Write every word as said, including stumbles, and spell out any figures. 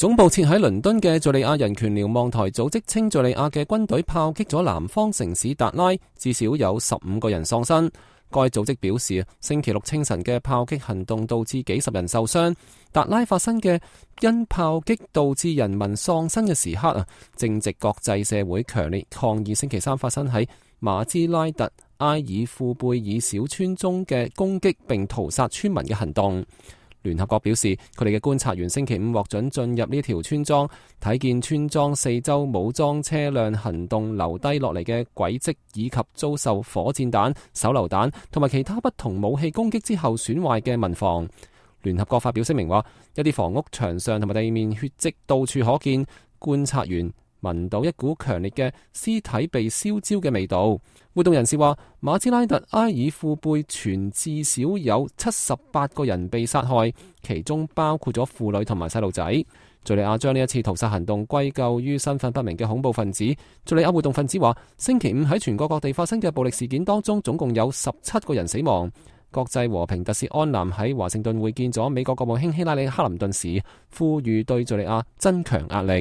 總部設喺倫敦嘅敘利亞人權瞭望台組織稱，敘利亞嘅軍隊炮擊咗南方城市達拉，至少有十五個人喪生。該組織表示，星期六清晨嘅炮擊行動導致幾十人受傷。達拉發生嘅因炮擊導致人民喪生嘅時刻啊，正值國際社會強烈抗議星期三發生喺馬茲拉特埃爾庫貝爾小村中嘅攻擊並屠殺村民嘅行動。聯合國表示，佢哋嘅觀察員星期五獲准進入呢條村莊，睇見村莊四周武裝車輛行動留低落嚟嘅軌跡，以及遭受火箭彈、手榴彈同埋其他不同武器攻擊之後損壞嘅民房。聯合國發表聲明話，一啲房屋牆上同埋地面血跡到處可見，觀察員聞到一股強烈嘅屍體被燒焦嘅味道。活動人士話，馬茲拉特埃爾庫貝全至少有七十八個人被殺害，其中包括咗婦女同埋細路仔。敘利亞將呢一次屠殺行動歸咎於身份不明嘅恐怖分子。敘利亞活動分子話，星期五喺全國各地發生嘅暴力事件當中，總共有十七個人死亡。國際和平特使安南喺華盛頓會見咗美國國務卿希拉里·克林頓時，呼籲對敘利亞增強壓力。